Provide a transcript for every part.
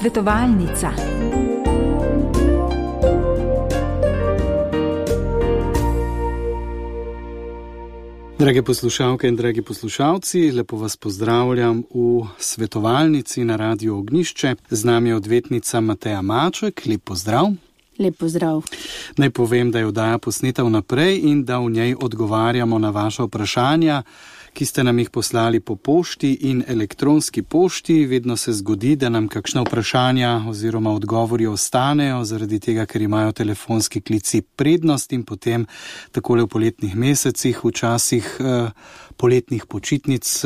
Svetovalnica. Drage poslušalke in dragi poslušalci, lepo vas pozdravljam v Svetovalnici na Radiu Ognjišče. Z nami je odvetnica Mateja Maček. Lep pozdrav. Lep pozdrav. Naj povem, da je oddaja posneta vnaprej in da v njej odgovarjamo na vaše vprašanja, ki ste nam jih poslali po pošti in elektronski pošti. Vedno se zgodi, da nam kakšna vprašanja oziroma odgovori ostanejo, zaradi tega, ker imajo telefonski klici prednost in potem takole v poletnih mesecih, v časih poletnih počitnic,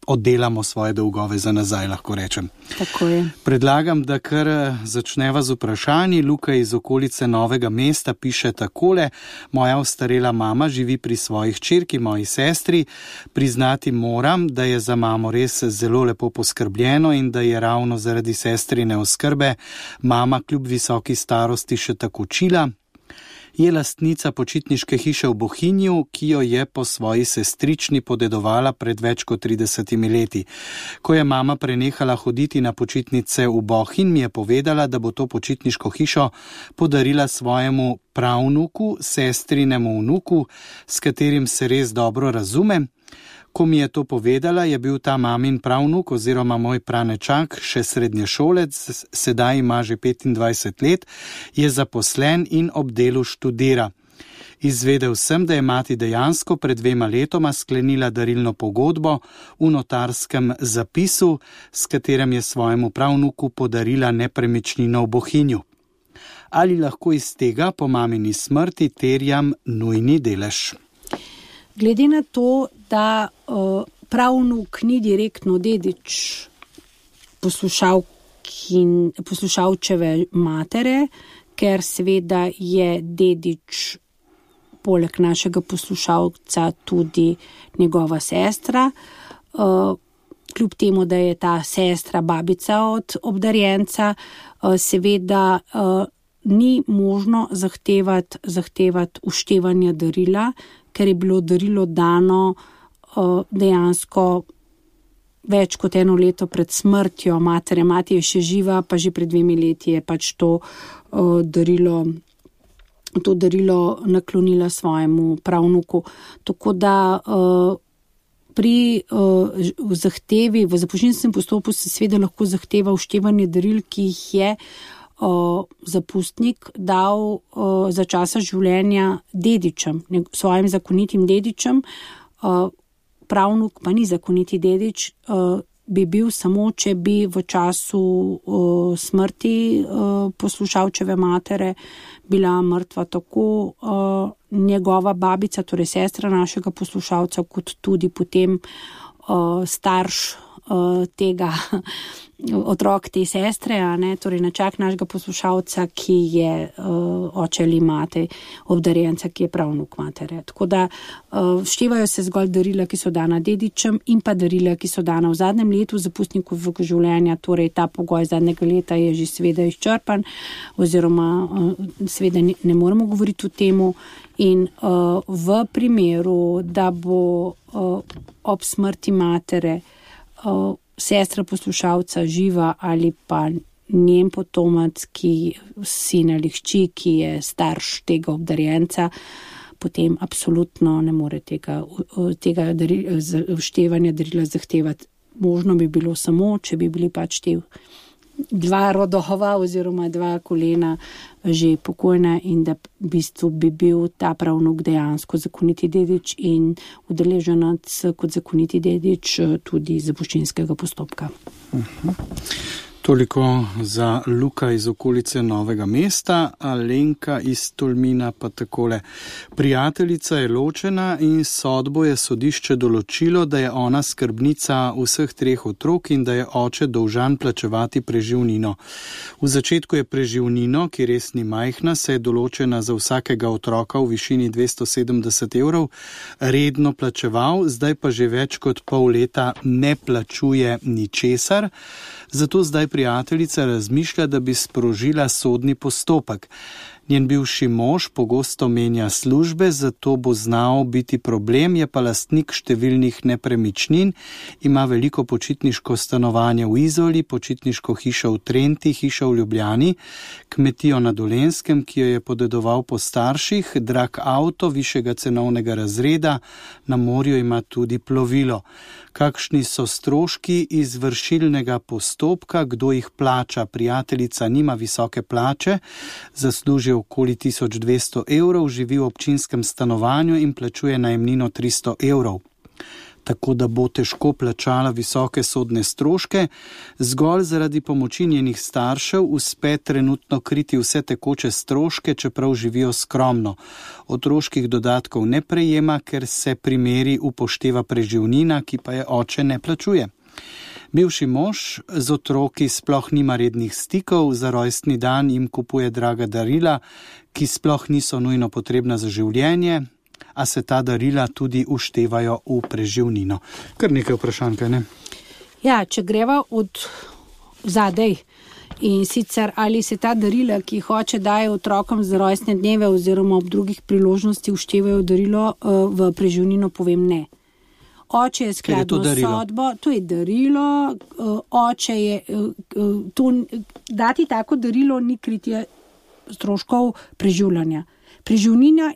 oddelamo svoje dolgove za nazaj, lahko rečem. Tako je. Predlagam, da kar začneva z vprašanji. Luka iz okolice Novega mesta piše takole: moja ostarela mama živi pri svoji hčerki, moji sestri. Priznati moram, da je za mamo res zelo lepo poskrbljeno in da je ravno zaradi sestrine oskrbe mama kljub visoki starosti še tako čila. Je lastnica počitniške hiše v Bohinju, ki jo je po svoji sestrični podedovala pred več kot 30 leti. Ko je mama prenehala hoditi na počitnice v Bohinj, mi je povedala, da bo to počitniško hišo podarila svojemu pravnuku, sestrinemu vnuku, s katerim se res dobro razume. Ko mi je to povedala, je bil ta mamin pravnuk oziroma moj pranečak še srednješolec, sedaj ima že 25 let, je zaposlen in ob delu študira. Izvedel sem, da je mati dejansko pred 2 letoma sklenila darilno pogodbo v notarskem zapisu, s katerim je svojemu pravnuku podarila nepremičnino v Bohinju. Ali lahko iz tega po mamini smrti terjam nujni delež? Glede na to, da pravnuk ni direktno dedič poslušalčeve matere, ker seveda je dedič poleg našega poslušalca tudi njegova sestra, kljub temu, da je ta sestra babica od obdarjenca, seveda ni možno zahtevati uštevanja darila, ker je bilo darilo dano dejansko več kot 1 leto pred smrtjo matere. Mati je še živa, pa že pred 2 leti je pač to darilo naklonila svojemu pravnuku. Tako da pri zahtevi v zapuščinskem postopku se seveda lahko zahteva uštevanje daril, ki jih je zapustnik dal za časa življenja dedičem, svojim zakonitim dedičem. Pravnuk pa ni zakoniti dedič, bi bil samo, če bi v času smrti poslušalčeve matere bila mrtva tako njegova babica, torej sestra našega poslušalca, kot tudi potem starš tega otrok te sestre, torej nečak našega poslušalca, ki je oče ali mate obdarjenca, ki je pravnuk matere. Tako da števajo se zgolj darila, ki so dana dedičem, in pa darila, ki so dana v zadnjem letu zapustnikovega življenja, torej ta pogoj zadnjega leta je že seveda izčrpan, oziroma seveda ne moremo govoriti o temu. In v primeru, da bo ob smrti matere sestra poslušalca živa ali pa njen potomac, sin ali hči, ki je starš tega obdarjenca, potem absolutno ne more tega uštevanja darila zahtevati. Možno bi bilo samo, če bi bili pač te 2 rodova oziroma 2 kolena že pokojna in da v bistvu bi bil ta pravnuk dejansko zakoniti dedič in udeleženec kot zakoniti dedič tudi zapuščinskega postopka. Toliko za Luka iz okolice Novega mesta. Alenka iz Tolmina pa takole: prijateljica je ločena in sodbo je sodišče določilo, da je ona skrbnica vseh 3 otrok in da je oče dolžan plačevati preživnino. V začetku je preživnino, ki res ni majhna, se je določena za vsakega otroka v višini 270 evrov, redno plačeval, zdaj pa že več kot pol leta ne plačuje ničesar. Zato zdaj prijateljica razmišlja, da bi sprožila sodni postopek. Njen bivši mož pogosto menja službe, zato bo znal biti problem, je pa lastnik številnih nepremičnin, ima veliko počitniško stanovanje v Izoli, počitniško hišo v Trenti, hišo v Ljubljani, kmetijo na Dolenjskem, ki jo je podedoval po starših, drag avto višjega cenovnega razreda, na morju ima tudi plovilo. Kakšni so stroški izvršilnega postopka, kdo jih plača? Prijateljica nima visoke plače, zasluži okoli 1200 evrov, živi v občinskem stanovanju in plačuje najemnino 300 evrov. Tako da bo težko plačala visoke sodne stroške, zgolj zaradi pomoči njenih staršev uspe trenutno kriti vse tekoče stroške, čeprav živijo skromno. Otroških dodatkov ne prejema, ker se pri meri upošteva preživnina, ki pa je oče ne plačuje. Bivši mož z otroki sploh nima rednih stikov, za rojstni dan jim kupuje draga darila, ki sploh niso nujno potrebna za življenje, a se ta darila tudi uštevajo v preživnino. Kar nekaj vprašanj, kaj ne? Ja, če greva od zadej in sicer ali se ta darila, ki jih oče daje otrokom za rojstne dneve oziroma ob drugih priložnosti uštevajo darilo v preživnino, povem ne. Oče je skladno sodbo, to je darilo, oče je, dati tako darilo ni kritje stroškov preživljanja. Preživnina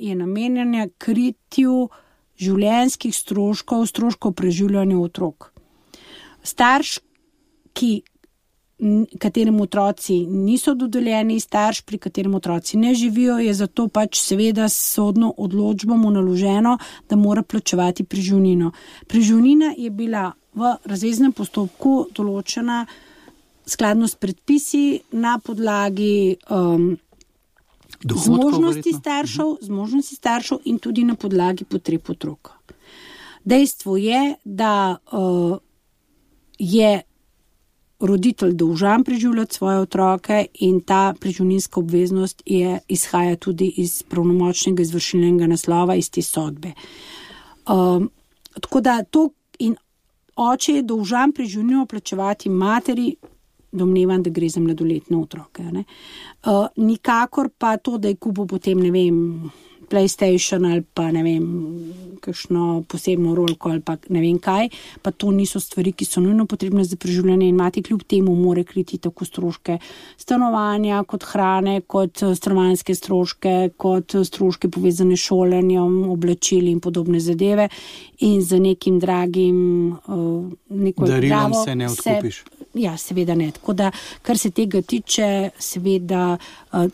je namenjena kritju življenjskih stroškov preživljanja otrok. Starš, kateremu otroci niso dodeljeni, starš, pri katerem otroci ne živijo, je zato pač seveda sodno odločbo mu naloženo, da mora plačevati preživnino. Preživnina je bila v razveznem postopku določena skladno s predpisi na podlagi zmožnosti staršev in tudi na podlagi potreb otroka. Dejstvo je, da je roditelj dolžan preživljati svoje otroke in ta preživninska obveznost izhaja tudi iz pravnomočnega izvršilnega naslova iz te sodbe. Tako da to in oče je dolžan preživnino plačevati materi, domnevam, da gre za mladoletne otroke. Nikakor pa to, da je kupil potem, ne vem, PlayStation ali pa ne vem, kakšno posebno rolko ali pa ne vem kaj, pa to niso stvari, ki so nujno potrebne za preživljanje in mati kljub temu more kriti tako stroške stanovanja, kot hrane, kot stanovanjske stroške, kot stroške povezane s šolanjem, oblačili in podobne zadeve in za nekim dragim darilom se ne odkupiš. Ja, seveda ne. Tako da, kar se tega tiče, seveda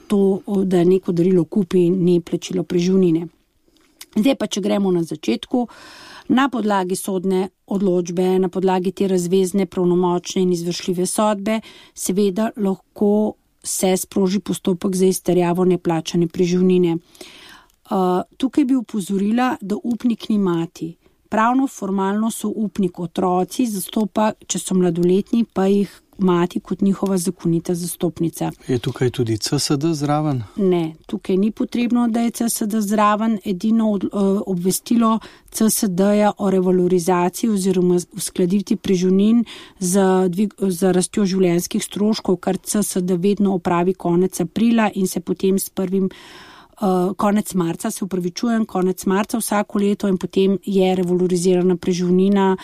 to, da neko darilo kupi, ni plačilo preživnine. Zdaj pa, če gremo na začetku, na podlagi sodne odločbe, na podlagi te razvezne, pravnomočne in izvršljive sodbe, seveda lahko se sproži postopek za izterjavo neplačane preživnine. Tukaj bi opozorila, da upnik ni mati. Pravno, formalno so upnik otroci, zastopa, če so mladoletni, pa jih mati kot njihova zakonita zastopnica. Je tukaj tudi CSD zraven? Ne, tukaj ni potrebno, da je CSD zraven. Edino obvestilo CSD-ja o revalorizaciji oziroma uskladitvi preživnin za rastjo življenjskih stroškov, kar CSD vedno opravi konec aprila in se potem s konec marca vsako leto in potem je revalorizirana preživnina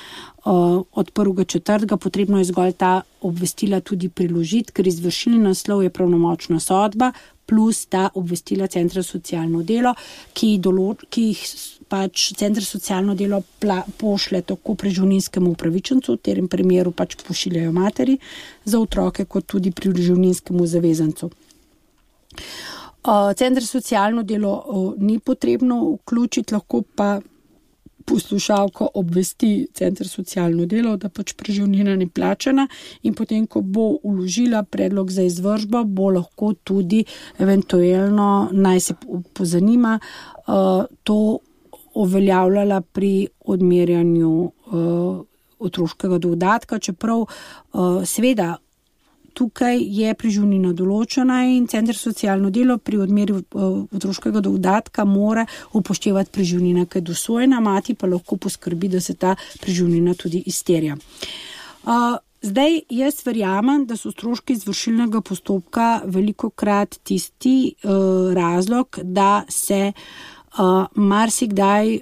od 1.4. Potrebno je zgolj ta obvestila tudi priložiti, ker izvršilni naslov je pravnomočna sodba plus ta obvestila Centra za socialno delo, ki jih pač Center za socialno delo pošlje tako preživninskemu upravičencu, v tem primeru pač pošiljajo materi za otroke, kot tudi preživninskemu zavezancu. Center za socialno delo ni potrebno vključiti, lahko pa poslušalko obvesti Center za socialno delo, da pač preživnina ni plačana in potem, ko bo vložila predlog za izvršbo, bo lahko tudi eventualno, naj se pozanima, to uveljavljala pri odmerjanju otroškega dodatka, čeprav seveda tukaj je preživnina določena in Center za socialno delo pri odmeri otroškega dodatka mora upoštevati preživnina, ki je dosojena, mati pa lahko poskrbi, da se ta preživnina tudi izterja. Zdaj, jaz verjamem, da so stroški izvršilnega postopka velikokrat tisti razlog, da se marsikdaj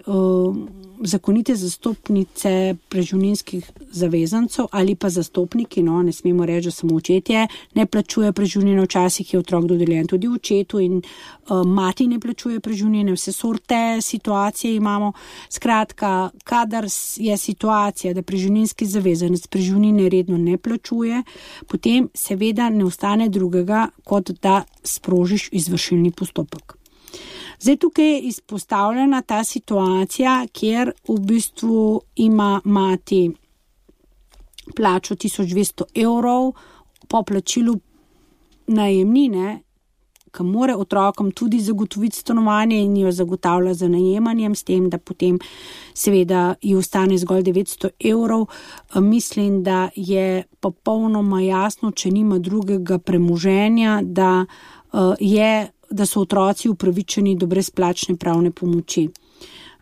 zakonite zastopnice preživninskih zavezancev ali pa zastopniki, ne smemo reči, da samo očetje, ne plačuje preživnine, včasih je otrok dodeljen tudi očetu in mati ne plačuje preživnine, vse sorte situacije imamo. Skratka, kadar je situacija, da preživninski zavezanec preživnine redno ne plačuje, potem seveda ne ostane drugega, kot da sprožiš izvršilni postopek. Zdaj tukaj je izpostavljena ta situacija, kjer v bistvu ima mati plačo 1200 evrov po plačilu najemnine, ki mora otrokom tudi zagotoviti stanovanje in jo zagotavlja za najemanjem, s tem, da potem seveda ji ostane zgolj 900 evrov. Mislim, da je popolnoma jasno, če nima drugega premoženja, da so otroci upravičeni do brezplačne pravne pomoči.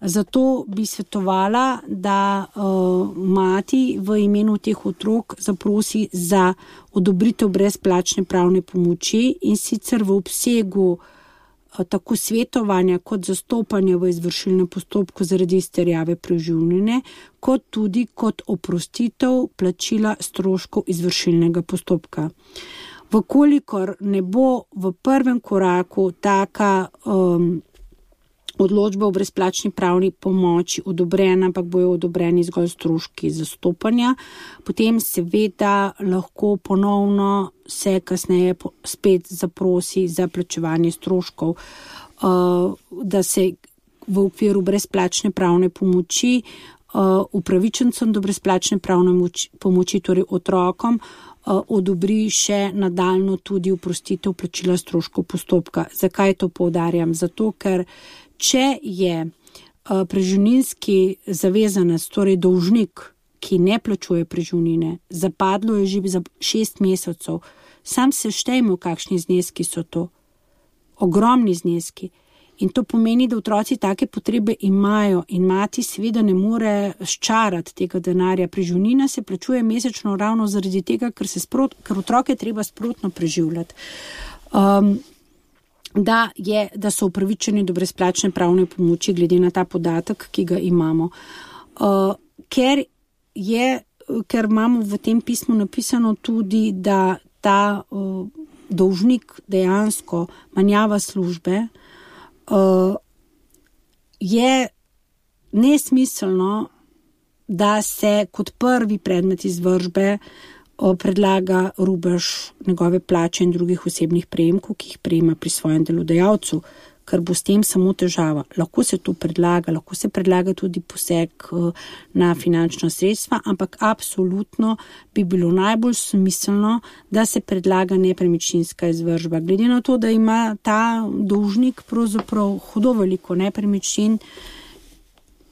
Zato bi svetovala, da mati v imenu teh otrok zaprosi za odobritev brezplačne pravne pomoči in sicer v obsegu tako svetovanja kot zastopanja v izvršilnem postopku zaradi izterjave preživnine, kot tudi kot oprostitev plačila stroškov izvršilnega postopka. Vkolikor ne bo v prvem koraku taka odločba o brezplačni pravni pomoči odobrena, ampak bojo odobreni zgolj stroški zastopanja, potem seveda lahko ponovno se kasneje spet zaprosi za plačevanje stroškov, da se v okviru brezplačne pravne pomoči upravičencem do brezplačne pravne pomoči, torej otrokom, odobri še nadaljno tudi oprostitev plačila stroškov postopka. Zakaj to poudarjam? Zato, ker če je preživninski zavezanec, torej dolžnik, ki ne plačuje preživnine, zapadlo je že za 6 mesecev, sam se štejmo, kakšni zneski so to. Ogromni zneski. In to pomeni, da otroci take potrebe imajo in mati seveda ne more ščarati tega denarja. Preživnina se plačuje mesečno ravno zaradi tega, ker otroke treba sprotno preživljati. Da so upravičeni do brezplačne pravne pomoči glede na ta podatek, ki ga imamo. Ker imamo v tem pismu napisano tudi, da ta dolžnik dejansko menjava službe, je nesmiselno, da se kot prvi predmet izvršbe predlaga rubež njegove plače in drugih osebnih prejemkov, ki jih prejema pri svojem delodajalcu, ker bo s tem samo težava. Lahko se to predlaga, lahko se predlaga tudi poseg na finančna sredstva, ampak absolutno bi bilo najbolj smiselno, da se predlaga nepremičninska izvršba. Glede na to, da ima ta dolžnik pravzaprav hudo veliko nepremičnin,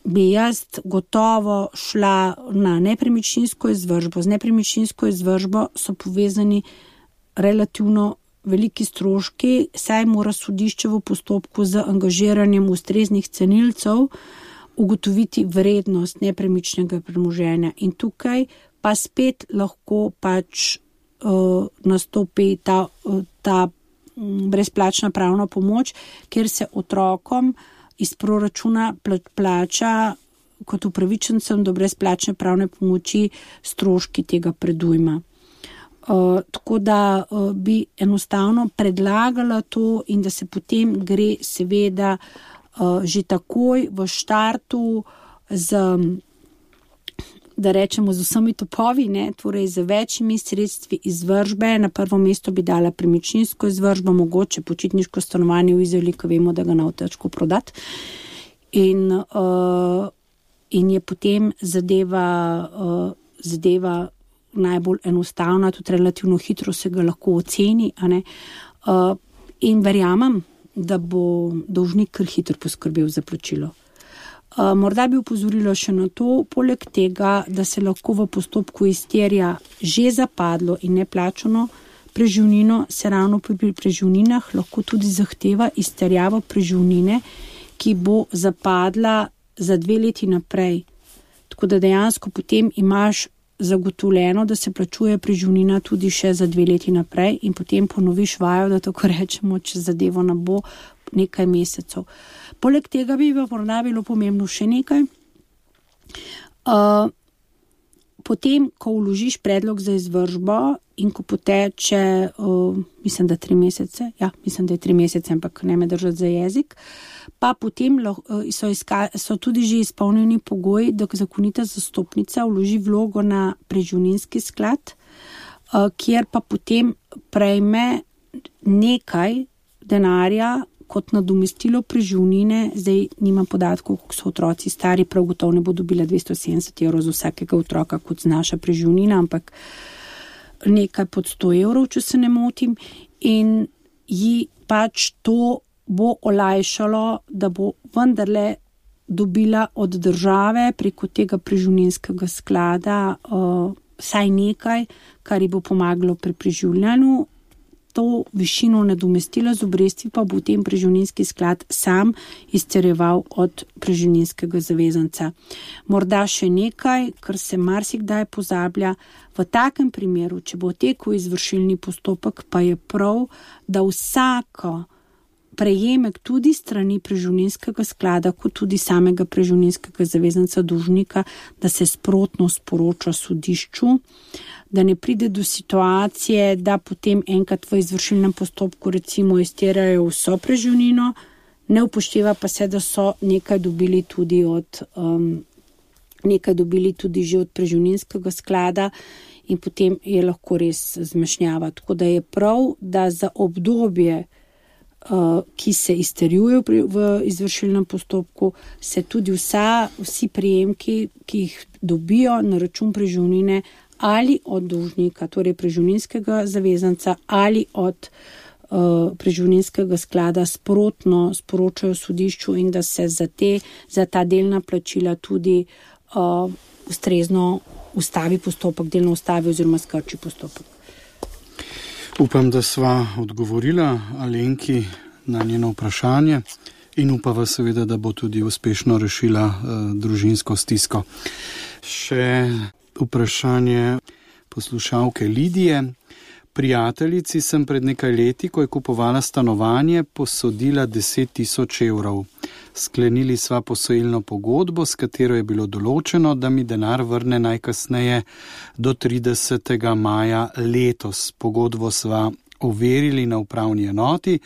bi jaz gotovo šla na nepremičninsko izvršbo. Z nepremičninsko izvršbo so povezani relativno veliki stroški, saj mora sodišče v postopku z angažiranjem ustreznih cenilcev ugotoviti vrednost nepremičnega premoženja. In tukaj pa spet lahko nastopi ta brezplačna pravna pomoč, kjer se otrokom iz proračuna plača kot upravičencem do brezplačne pravne pomoči stroški tega predujma. Tako da bi enostavno predlagala to in da se potem gre seveda že takoj v štartu da rečemo z vsemi topovi, torej z večjimi sredstvi izvršbe. Na prvo mesto bi dala premičninsko izvršbo, mogoče počitniško stanovanje v Izoli, ko vemo, da ga ne bo težko prodati. In je potem zadeva najbolj enostavna, tudi relativno hitro se ga lahko oceni, in verjamem, da bo dolžnik kar hitro poskrbel za plačilo. Morda bi opozorila še na to, poleg tega, da se lahko v postopku izterja že zapadlo in neplačano preživnino, se ravno pri preživninah lahko tudi zahteva izterjavo preživnine, ki bo zapadla za 2 leti naprej. Tako da dejansko potem imaš zagotovljeno, da se plačuje preživnina tudi še za 2 leti naprej in potem ponoviš vajo, da tako rečemo, če zadevo ne bo nekaj mesecev. Poleg tega bi morda bilo pomembno še nekaj. Potem, ko vložiš predlog za izvršbo in ko poteče, mislim, da 3 mesece, mislim, da je 3 mesece, ampak ne me držati za jezik, pa potem so tudi že izpolnjeni pogoji, da zakonita zastopnica vloži vlogo na preživninski sklad, kjer pa potem prejme nekaj denarja kot nadomestilo preživnine. Zdaj nimam podatkov, koliko so otroci stari, prav gotovo ne bo dobila 270 evrov za vsakega otroka, kot znaša preživnina, ampak nekaj pod 100 evrov, če se ne motim, in ji pač to bo olajšalo, da bo vendarle dobila od države preko tega preživninskega sklada vsaj nekaj, kar ji bo pomagalo pri preživljanju. To višino nadomestila z obresti pa bo v tem preživninski sklad sam izterjeval od preživninskega zavezanca. Morda še nekaj, kar se marsikdaj pozablja. V takem primeru, če bo tekel izvršilni postopek, pa je prav, da vsako prejemek tudi strani preživninskega sklada, kot tudi samega preživninskega zavezanca dolžnika, da se sprotno sporoča sodišču, da ne pride do situacije, da potem enkrat v izvršilnem postopku recimo izterjajo vso preživnino, ne upošteva pa se, da so nekaj dobili tudi že od preživninskega sklada in potem je lahko res zmešnjava. Tako da je prav, da za obdobje, ki se izterjujejo v izvršilnem postopku, se tudi vsi prejemki, ki jih dobijo na račun preživnine, ali od dolžnika, torej preživninskega zavezanca, ali od preživninskega sklada sprotno sporočajo sodišču in da se za ta delna plačila tudi ustrezno ustavi postopek, delno ustavi oziroma skrči postopek. Upam, da sva odgovorila Alenki na njeno vprašanje in upava seveda, da bo tudi uspešno rešila družinsko stisko. Še vprašanje poslušalke Lidije. Prijateljici sem pred nekaj leti, ko je kupovala stanovanje, posodila 10 000 evrov. Sklenili sva posojilno pogodbo, s katero je bilo določeno, da mi denar vrne najkasneje do 30. maja letos. Pogodbo sva overili na upravni enoti,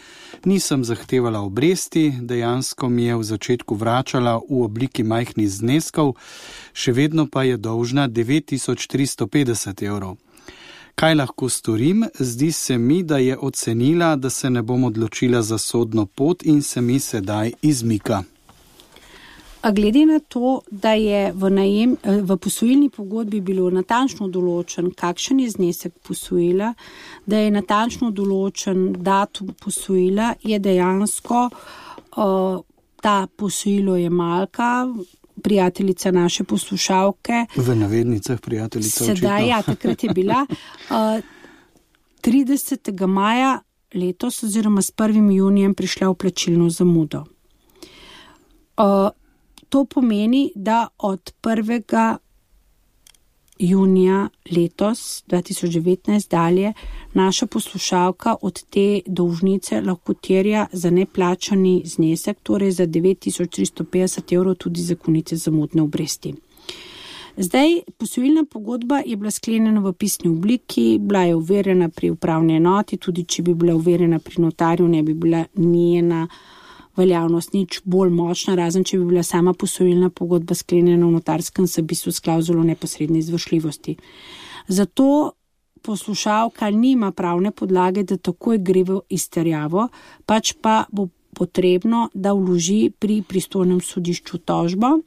nisem zahtevala obresti, dejansko mi je v začetku vračala v obliki majhnih zneskov, še vedno pa je dolžna 9350 evrov. Kaj lahko storim? Zdi se mi, da je ocenila, da se ne bom odločila za sodno pot in se mi sedaj izmika. A glede na to, da je v posojilni pogodbi bilo natančno določen, kakšen je znesek posojila, da je natančno določen datum posojila, je dejansko ta posojilo-jemalka, prijateljica naše poslušalke. V navednicah prijateljica očitno. Sedaj, takrat je bila 30. maja letos oziroma s 1. junijem prišla v plačilno zamudo. To pomeni, da od 1. junija letos, 2019 dalje, naša poslušalka od te dolžnice lahko terja za neplačani znesek, torej za 9350 evrov tudi zakonite zamudne obresti. Zdaj, posojilna pogodba je bila sklenjena v pisni obliki, bila je overjena pri upravni enoti, tudi če bi bila overjena pri notarju, ne bi bila njena veljavnost nič bolj močna, razen če bi bila sama posojilna pogodba sklenjena v notarskem zapisu s klavzulo neposredne izvršljivosti. Zato poslušalka nima pravne podlage, da takoj gre v izterjavo, pač pa bo potrebno, da vloži pri pristojnem sodišču tožbo,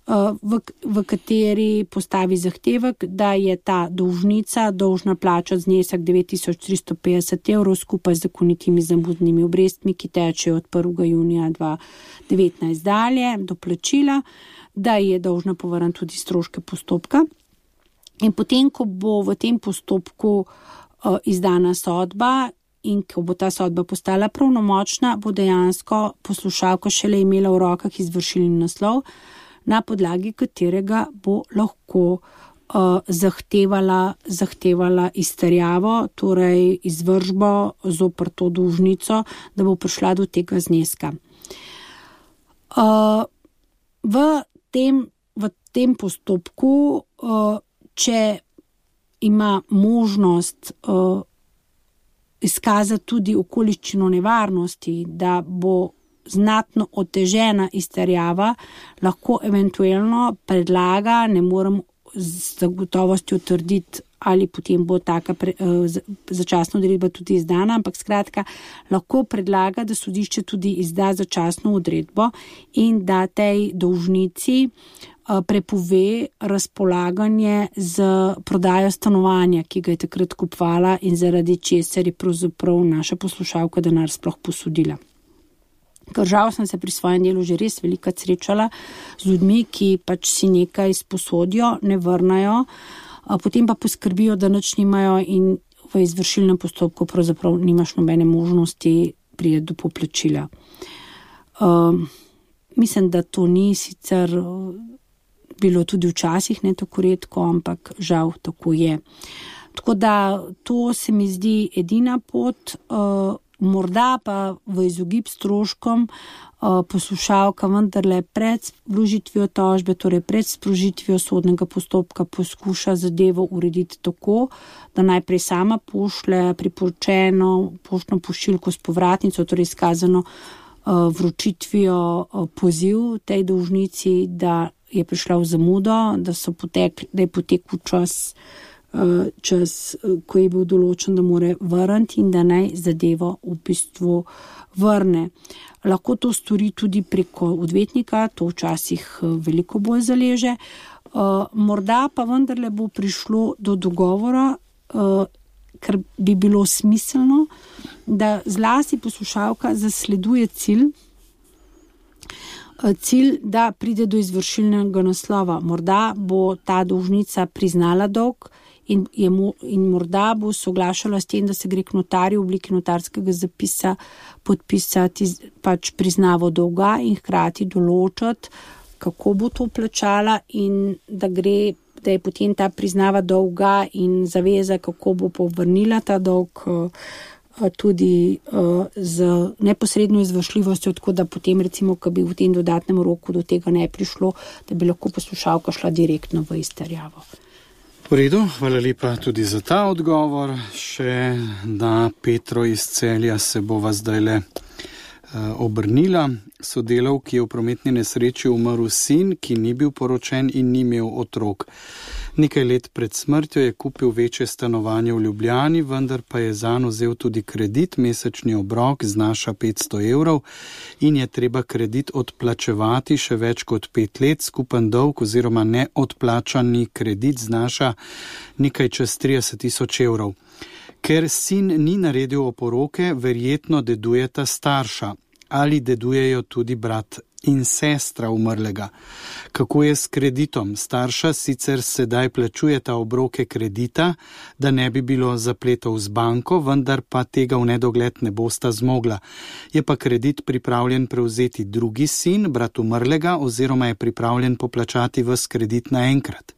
v kateri postavi zahtevek, da je ta dolžnica dolžna plačati znesek 9350 evrov skupaj z zakonitimi zamudnimi obrestmi, ki tečejo od 1. junija 2019 dalje do plačila, da je dolžna povrniti tudi stroške postopka. In potem, ko bo v tem postopku izdana sodba in ko bo ta sodba postala pravnomočna, bo dejansko poslušalka šele imela v rokah izvršilni naslov, na podlagi katerega bo lahko zahtevala izterjavo, torej izvršbo zoper to dolžnico, da bo prišla do tega zneska. V tem postopku, če ima možnost izkazati tudi okoliščino nevarnosti, da bo znatno otežena izterjava, lahko eventualno predlaga, ne morem z zagotovostjo trditi, ali potem bo taka začasna odredba tudi izdana, ampak skratka, lahko predlaga, da sodišče tudi izda začasno odredbo in da tej dolžnici prepove razpolaganje z prodajo stanovanja, ki ga je takrat kupovala in zaradi česar je pravzaprav naša poslušalka denar sploh posodila. Ker žal sem se pri svojem delu že res velikokrat srečala z ljudmi, ki pač si nekaj sposodijo, ne vrnajo, potem pa poskrbijo, da nič nimajo in v izvršilnem postopku pravzaprav nimaš nobene možnosti priti do poplačila. Mislim, da to ni sicer bilo tudi včasih ne tako redko, ampak žal tako je. Tako da to se mi zdi edina pot, morda pa v izogib stroškom poslušalka vendarle pred vložitvijo tožbe, torej pred sprožitvijo sodnega postopka poskuša zadevo urediti tako, da najprej sama pošlje priporočeno poštno pošiljko s povratnico, torej izkazano vročitvijo poziv tej dolžnici, da je prišla v zamudo, da je potekel čas, ko je bil določen, da more vrniti in da naj zadevo v bistvu vrne. Lahko to stori tudi preko odvetnika, to včasih veliko bolj zaleže. Morda pa vendarle bo prišlo do dogovora, ker bi bilo smiselno, da zlasti poslušalka zasleduje cilj, da pride do izvršilnega naslova. Morda bo ta dolžnica priznala dolg in morda bo soglašala s tem, da se gre k notarju v obliki notarskega zapisa podpisati pač priznavo dolga in hkrati določiti, kako bo to plačala in da je potem ta priznava dolga in zaveza, kako bo povrnila ta dolg tudi z neposredno izvršljivostjo, tako da potem recimo, ko bi v tem dodatnem roku do tega ne prišlo, da bi lahko poslušalka šla direktno v izterjavo. V redu, hvala lepa tudi za ta odgovor. Še na Petro iz Celja se bova zdajle obrnila. Sodelavki je v prometni nesreči umrl sin, ki ni bil poročen in ni imel otrok. Nekaj let pred smrtjo je kupil večje stanovanje v Ljubljani, vendar pa je zanj vzel tudi kredit, mesečni obrok znaša 500 evrov in je treba kredit odplačevati še več kot 5 let, skupen dolg oziroma neodplačani kredit znaša nekaj čez 30.000 evrov. Ker sin ni naredil oporoke, verjetno dedujeta starša ali dedujejo tudi brat in sestra umrlega. Kako je s kreditom? Starša sicer sedaj plačujeta obroke kredita, da ne bi bilo zapletov z banko, vendar pa tega v nedogled ne bosta zmogla. Je pa kredit pripravljen prevzeti drugi sin, brat umrlega, oziroma je pripravljen poplačati ves kredit naenkrat.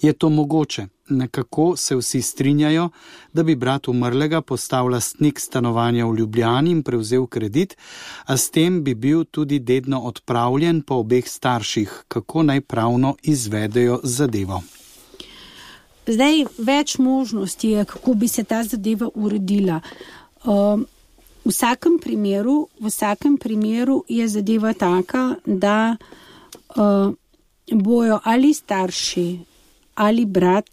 Je to mogoče? Nekako se vsi strinjajo, da bi brat umrlega postal lastnik stanovanja v Ljubljani in prevzel kredit, a s tem bi bil tudi dedno odpravljen po obeh starših. Kako naj pravno izvedejo zadevo? Zdaj, več možnosti je, kako bi se ta zadeva uredila. V vsakem primeru je zadeva taka, da bojo ali starši ali brat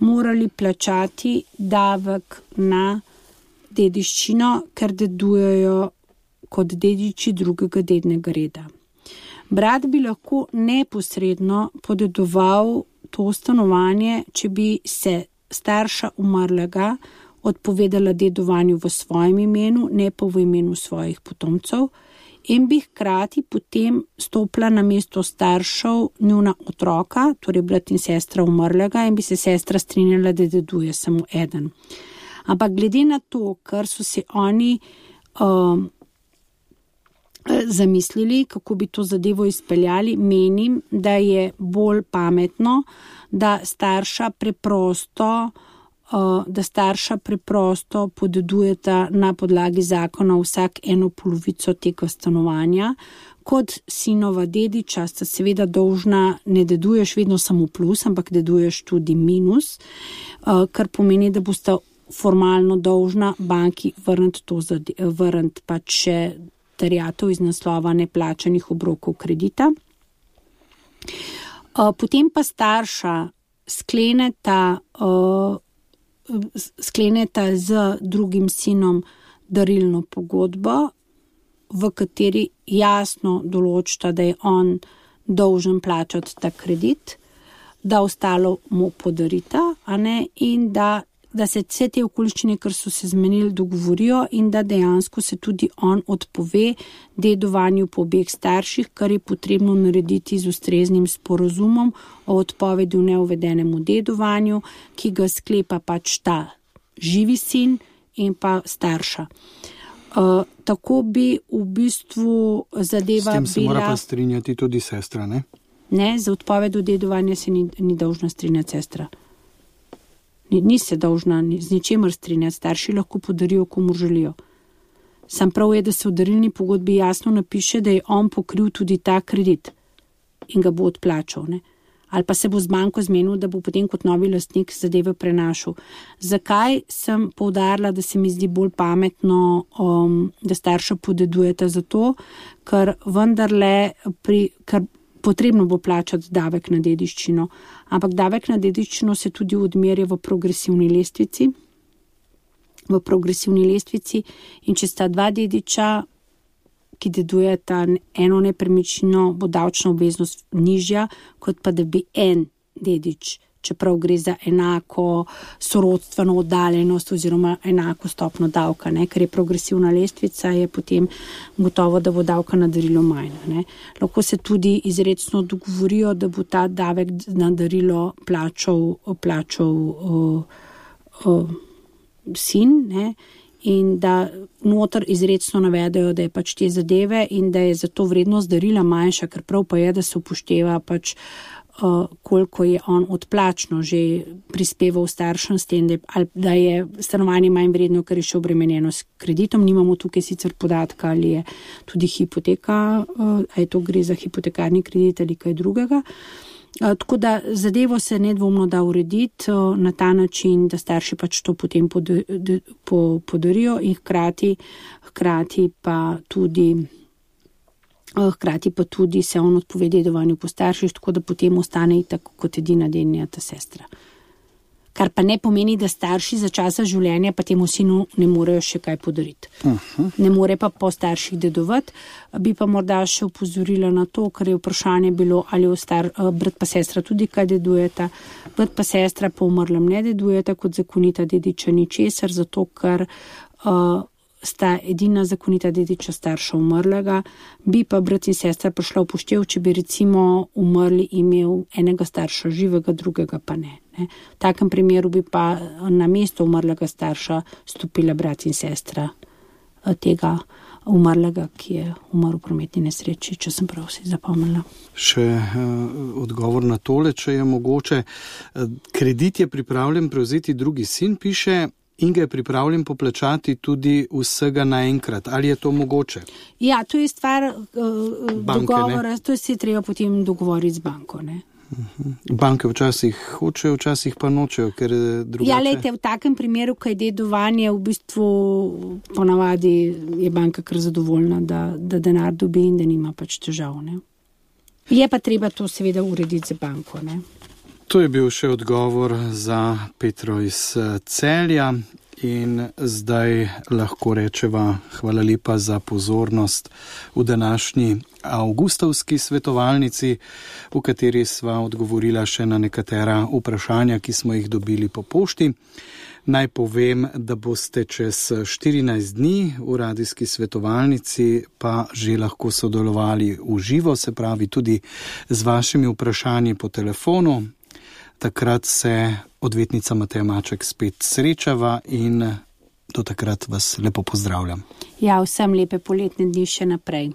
morali plačati davek na dediščino, ker dedujejo kot dediči drugega dednega reda. Brat bi lahko neposredno podedoval to stanovanje, če bi se starša umrlega odpovedala dedovanju v svojem imenu, ne pa v imenu svojih potomcev, in bi hkrati potem stopila na mesto staršev njuna otroka, torej brat in sestra umrlega, in bi se sestra strinjala, da deduje samo eden. Ampak glede na to, ker so se oni zamislili, kako bi to zadevo izpeljali. Menim, da je bolj pametno, da starša preprosto podedujeta na podlagi zakona vsak eno polovico tega stanovanja. Kot sinova dediča sta seveda dolžna, ne deduješ vedno samo plus, ampak deduješ tudi minus, kar pomeni, da bosta formalno dolžna banki vrniti pač še terjatev iz naslova neplačanih obrokov kredita. Potem pa starša skleneta z drugim sinom darilno pogodbo, v kateri jasno določita, da je on dolžen plačati ta kredit, da ostalo mu podarita, in da se vse te okoliščine, kar so se zmenili, dogovorijo in da dejansko se tudi on odpove dedovanju po obeh starših, kar je potrebno narediti z ustreznim sporazumom o odpovedi v neuvedenemu dedovanju, ki ga sklepa pač ta živi sin in pa starša. Tako bi v bistvu zadeva bila... S tem se mora pa strinjati tudi sestra, ne? Ne, za odpovedjo dedovanja se ni dolžna strinjati sestra. Ni se dolžna z ničemer strinjati, starši lahko podarijo, komu želijo. Sam prav je, da se v darilni pogodbi jasno napiše, da je on pokril tudi ta kredit in ga bo odplačal, ne? Ali pa se bo z banko zmenil, da bo potem kot novi lastnik zadeve prenašal. Zakaj sem poudarila, da se mi zdi bolj pametno, da starša podedujeta? Zato, ker vendarle ker potrebno bo plačati davek na dediščino, ampak davek na dediščino se tudi odmerja v progresivni lestvici. In če sta dva dediča, ki dedujeta eno nepremičnino, bo davčna obveznost nižja, kot pa da bi en dedič, čeprav gre za enako sorodstveno oddaljenost oziroma enako stopno davka, ne? Ker je progresivna lestvica, je potem gotovo, da bo davka na darilo manj, ne? Lahko se tudi izrecno dogovorijo, da bo ta davek na darilo plačal sin, ne? In da noter izrecno navedajo, da je pač te zadeve in da je zato vrednost darila manjša, ker prav pa je, da se upošteva pač koliko je on odplačno že prispeval staršem s tem, da je stanovanje manj vredno, ker je še obremenjeno s kreditom. Nimamo tukaj sicer podatka, ali je tudi hipoteka, ali to gre za hipotekarni kredit ali kaj drugega. Tako da zadevo se nedvomno da urediti na ta način, da starši pač to potem podarijo in hkrati pa tudi se on odpove dedovanju po starših, tako da potem ostane tako kot edina dednjata sestra. Kar pa ne pomeni, da starši za časa življenja pa temu sinu ne morejo še kaj podariti. Ne more pa po starših dedovati. Bi pa morda še upozorila na to, ker je vprašanje bilo, ali brat pa sestra tudi kaj dedujeta. Brat pa sestra po umrlem ne dedujeta kot zakonita dediča ničesar, zato ker sta edina zakonita dediča starša umrlega, bi pa brat in sestra prišla v poštev, če bi recimo umrli imel enega starša živega, drugega pa ne. V takem primeru bi pa na mesto umrlega starša stopila brat in sestra tega umrlega, ki je umrl v prometni nesreči, če sem prav si zapomnila. Še odgovor na tole, če je mogoče. Kredit je pripravljen prevzeti drugi sin, piše, in ga je pripravljen poplačati tudi vsega naenkrat. Ali je to mogoče? Ja, to je stvar dogovora, to se je treba potem dogovoriti z banko, ne? Banke včasih hočejo, včasih pa nočejo, ker drugače... Ja, lejte, v takem primeru, ko je dedovanje, v bistvu ponavadi je banka kar zadovoljna, da denar dobi in da nima pač težav, ne? Je pa treba to seveda urediti z banko, ne? To je bil še odgovor za Petro iz Celja in zdaj lahko rečeva hvala lepa za pozornost v današnji avgustovski svetovalnici, v kateri sva odgovorila še na nekatera vprašanja, ki smo jih dobili po pošti. Naj povem, da boste čez 14 dni v radijski svetovalnici pa že lahko sodelovali v živo, se pravi tudi z vašimi vprašanji po telefonu. Takrat se odvetnica Mateja Maček spet srečava in Do takrat vas lepo pozdravljam. Ja, vsem lepe poletne dni še naprej.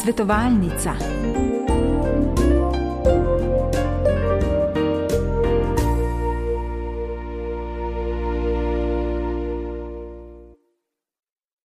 Svetovalnica.